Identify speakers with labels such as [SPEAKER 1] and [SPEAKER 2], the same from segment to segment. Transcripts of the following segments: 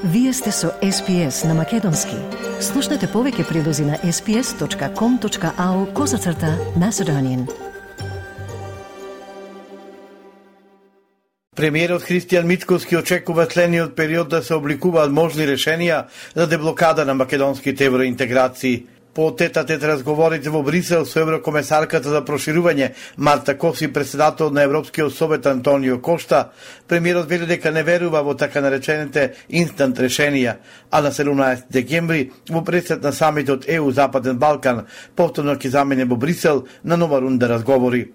[SPEAKER 1] Вие сте со SPS на Македонски. Слушнете повеќе прилози на sps.com.au/Macedonian.
[SPEAKER 2] Премиерот Христијан Мицкоски очекува следниот период да се обликуваат можни решенија за деблокада на македонските евроинтеграции. По тет-а-тет разговорите во Брисел со еврокомесарката за проширување Марта Кос и председател на Европскиот совет Антонио Кошта, премиерот вели дека не верува во така наречените инстант решенија, а на 17 декември во пресед на самитот ЕУ Западен Балкан повторно ќе замине во Брисел на нова рунда разговори.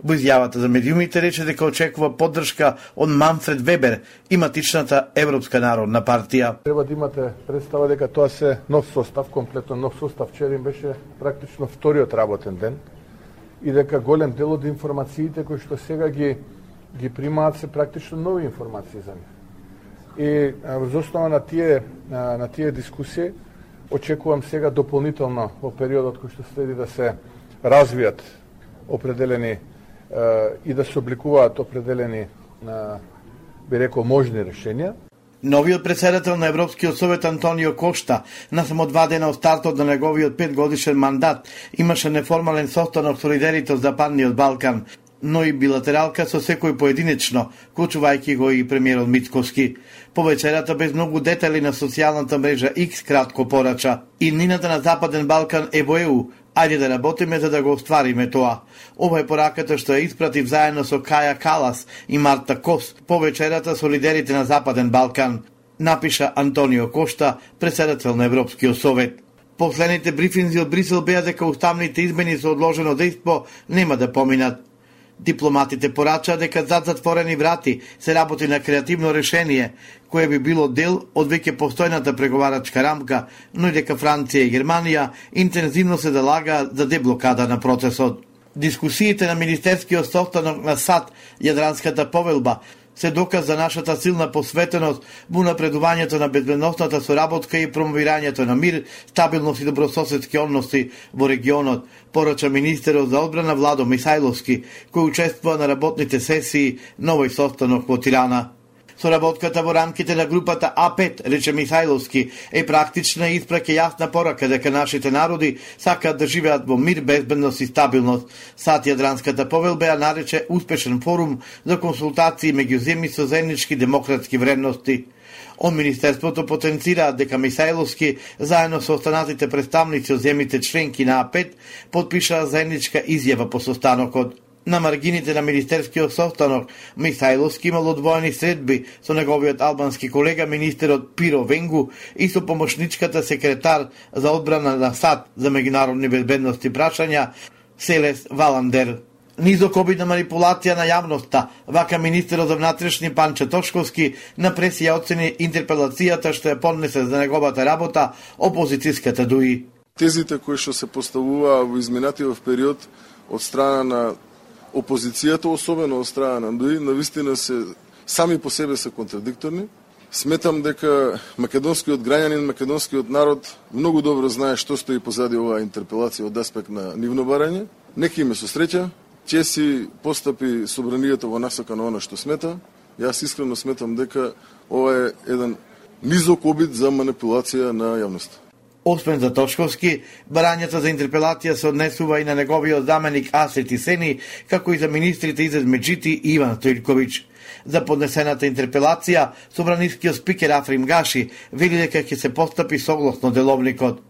[SPEAKER 2] Во изјавата за медиумите рече дека очекува поддршка од Манфред Вебер, иматичната Европска народна партија.
[SPEAKER 3] Треба да имате представа дека тоа се нов состав, комплетно нов состав. Вчера им беше практично вториот работен ден и дека голем дел од информациите кои што сега ги примаат се практично нови информации за нив. И врз основа на тие дискусии очекувам сега дополнително во периодот кој што следи да се развијат определени и да се обликуваат определени, би рекол, можни решенија.
[SPEAKER 2] Новиот председател на Европскиот совет Антонио Кошта, на само 2 дена од стартот на неговиот 5-годишен мандат, имаше неформален состанок со лидерите од Западниот Балкан, но и билатералка со секој поединечно, вклучувајќи го и премиерот Мицкоски. По вечерата без многу детали на социјалната мрежа X кратко порача: иднината на Западен Балкан е во ЕУ, ајде да работиме за да го оствариме тоа. Ова е пораката што ја испратив заедно со Каја Калас и Марта Кос по вечерата со лидерите на Западен Балкан, напиша Антонио Кошта, председател на Европскиот совет. Последните брифинзи од Брисел беа дека уставните измени со одложено дејство нема да поминат. Дипломатите порачаа дека зад затворени врати се работи на креативно решение, кое би било дел од веќе постојната преговарачка рамка, но и дека Франција и Германија интензивно се залагаат за деблокада на процесот. Дискусиите на Министерскиот состанок на САД, Јадранската повелба, се доказ за нашата силна посветеност во напредувањето на безбедносната соработка и промовирањето на мир, стабилност и добрососедски односи во регионот, порача министерот за одбрана Владо Михајловски, кој учествува на работните сесии на овој состанок во Тирана. Соработката во рамките на групата А5, рече Михајловски, е практична и испраќа јасна порака дека нашите народи сакаат да живеат во мир, безбедност и стабилност. САД Јадранската повелба ја нарече успешен форум за консултации меѓу земји со заеднички демократски вредности. Од Министерството потенцираат дека Михајловски, заедно со останатите представници од земјите членки на А5, потпишаа заедничка изјава по состанокот. На маргините на Министерскиот состанок, Михајловски имал одвоени средби со неговиот албански колега министерот Пиро Венгу и со помошничката секретар за одбрана на САД за меѓународни безбедности прашања Селес Валандер. Низок обид на манипулација на јавноста, вака министерот за внатрешни Панче Тошковски на пресија оцени интерпелацијата што ја поднесе за неговата работа опозицијската ДУИ.
[SPEAKER 4] Тезите кои што се поставуваа во изминатиот период од страна на опозицијата, особено од страна на ДУИ, навистина се сами по себе се контрадикторни. Сметам дека македонскиот граѓанин, македонскиот народ многу добро знае што стои позади оваа интерпелација од аспект на нивно барање. Нека име со среќа, ќе си постапи собранието во насока на она што смета. Јас искрено сметам дека ова е еден низок обид за манипулација на јавноста.
[SPEAKER 2] Освен за Тошковски, барањата за интерпелација се однесува и на неговиот заменик Асет Исени, како и за министрите Изет Меджити и Иван Стојковиќ. За поднесената интерпелација, собранискиот спикер Африм Гаши вели дека ќе се постапи согласно деловникот.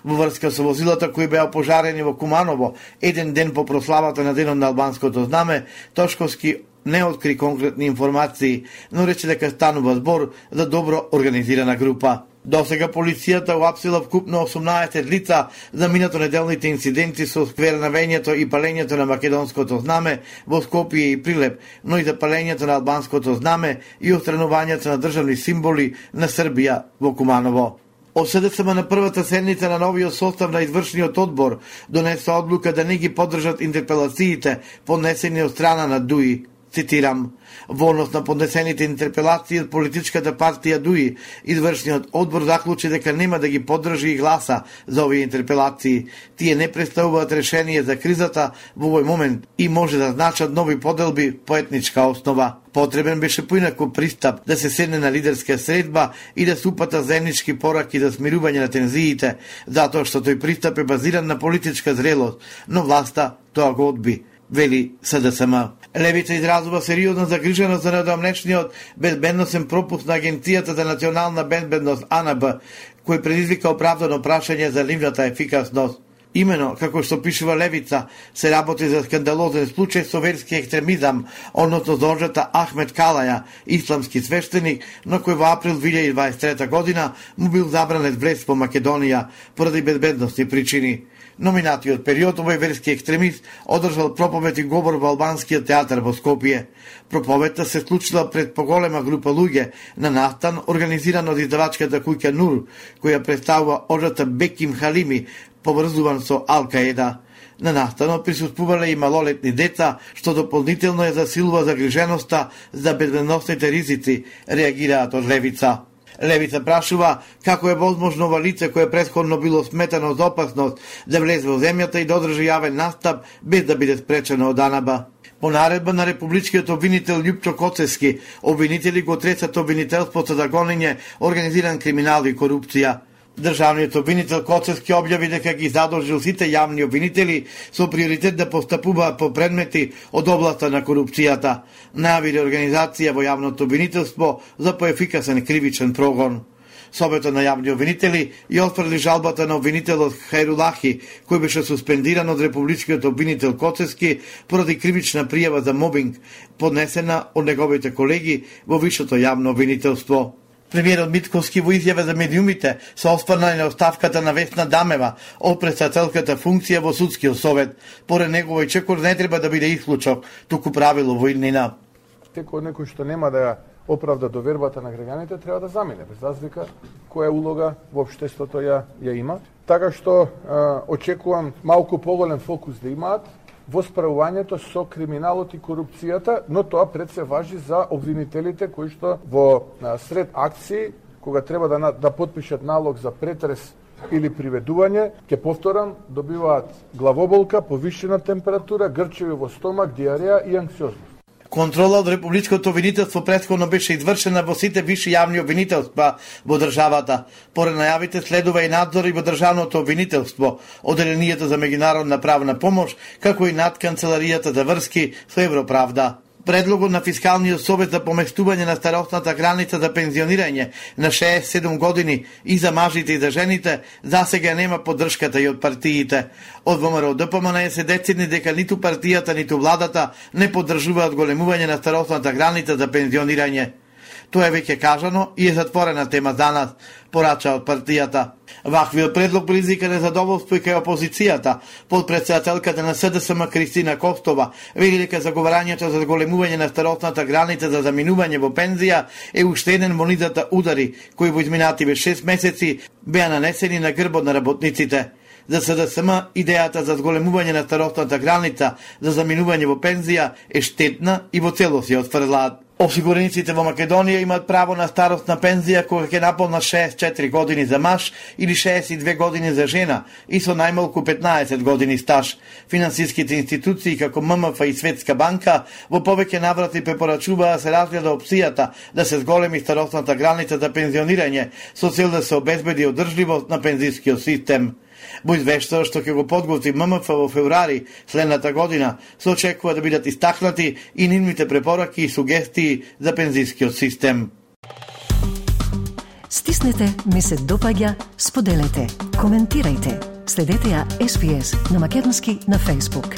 [SPEAKER 2] Во врска со возилата кои беа пожарени во Куманово, еден ден по прославата на денот на албанското знаме, Тошковски не откри конкретни информации, но рече дека станува збор за добро организирана група. Досега полицијата уапсила вкупно 18 лица за минатонеделните инциденти со сквернавењето и палењето на македонското знаме во Скопје и Прилеп, но и за палењето на албанското знаме и отстранувањето на државни символи на Србија во Куманово. ОСДСМ на првата седница на новиот состав на извршниот одбор донесе одлука да не ги поддржат интерпелациите поднесени од страна на ДУИ. цитирам: "Во однос на поднесените интерпелации од политичката партија ДУИ, извршниот одбор заклучи дека нема да ги поддржи и гласа за овие интерпелации. Тие не представуваат решение за кризата во овој момент и може да значат нови поделби по етничка основа. Потребен беше поинаков пристап, да се седне на лидерска средба и да се упата заеднички пораки за смирување на тензиите, затоа што тој пристап е базиран на политичка зрелост, но власта тоа го одби", вели СДСМ. Левица изразува сериозна загриженост за недавнешниот безбедносен пропуст на Агенцијата за национална безбедност АНБ, кој предизвика оправдано прашање за нивната ефикасност. Имено, како што пишува Левица, се работи за скандалозен случај со верски екстремизам, односно зожата Ахмед Калаја, исламски свештеник, на кој во април 2023 година му бил забранет влез во Македонија поради безбедностни причини. Номинатиот период овој верски екстремист одржал проповед и говор во албанскиот театар во Скопје. Проповедта се случила пред поголема група луѓе на настан организиран од издавачката куќа Нур, која представува оджата Беким Халими, поврзуван со Ал-Каеда. На настанот присуствувале и малолетни деца, што дополнително ја засилува загриженоста за безбедносните ризици, реагираат од Левица. Левица прашува како е возможно ова лице кое претходно било сметано за опасност да влезе во земјата и да одржи јавен настап без да биде спречено од АНБ. По наредба на републичкиот обвинител Љупчо Коцевски, обвинители го тресат обвинителството за гонење, организиран криминал и корупција. Државниот обвинител Коцевски објави дека ги задолжил сите јавни обвинители со приоритет да постапуваат по предмети од областа на корупцијата. Најави реорганизација во јавното обвинителство за поефикасен кривичен прогон. Собето на јавни обвинители ја отфрли жалбата на обвинителот Хајрулахи, кој беше суспендиран од републичкиот обвинител Коцевски поради кривична пријава за мобинг, поднесена од неговите колеги во висшето јавно обвинителство. Премиерот Митковски во изјава за медиумите се осврна на оставката на Весна Дамева од председателката функција во судскиот совет. Поред неговој чекор не треба да биде исклучок, туку правило во иднина.
[SPEAKER 3] Секој некој што нема да ја оправда довербата на граѓаните треба да замине, без разлика која улога во општеството ја има. Така што очекувам малку поголем фокус да имаат во справувањето со криминалот и корупцијата, но тоа пред се важи за обвинителите кои што во сред акции, кога треба да потпишат налог за претрес или приведување, ќе повторам, добиваат главоболка, повишена температура, грчеви во стомак, диареја и анксиозност.
[SPEAKER 2] Контрола од републичкото обвинителство претходно беше извршена во сите виши јавни обвинителства во државата. Поред најавите следува и надзор и во државното обвинителство, Оделенијата за меѓународна правна помош, како и над Канцеларијата за врски со Европравда. Предлогот на Фискалниот совет за поместување на старосната граница за пензионирање на 67 години и за мажите и за жените засега нема поддршката и од партиите. Од ВМРО ДПМН се децидни дека ниту партијата, ниту владата не поддржуваат големување на старосната граница за пензионирање. Тоа е веќе кажано и е затворена тема за нас, порача од партијата. Ваквиот предлог предизвика незадоволство и кај опозицијата. Подпредседателката на СДСМ Кристина Костова вели дека заговарањето за големување на старосната граница за заминување во пензија е уште еден во низата удари кои во изминативе 6 месеци беа нанесени на грбот на работниците. За СДСМ идејата за зголемување на старосната граница за заминување во пензија е штетна и во целост ја отфрлаат. Осигурениците во Македонија имаат право на старосна пензија кога ќе наполнат 64 години за маж или 62 години за жена и со најмалку 15 години стаж. Финансиските институции како ММФ и Светска банка во повеќе наврати препорачуваа да се разгледа опцијата да се зголеми старосната граница за пензионирање со цел да се обезбеди одржливост на пензискиот систем. Во извештајот што ќе го подготви ММФ во февруари следната година се очекува да бидат истакнати и нивните препораки и сугестии за пензискиот систем.
[SPEAKER 1] Стиснете, ми се допаѓа, споделете, коментирајте. Следете ја SPS на Македонски на Facebook.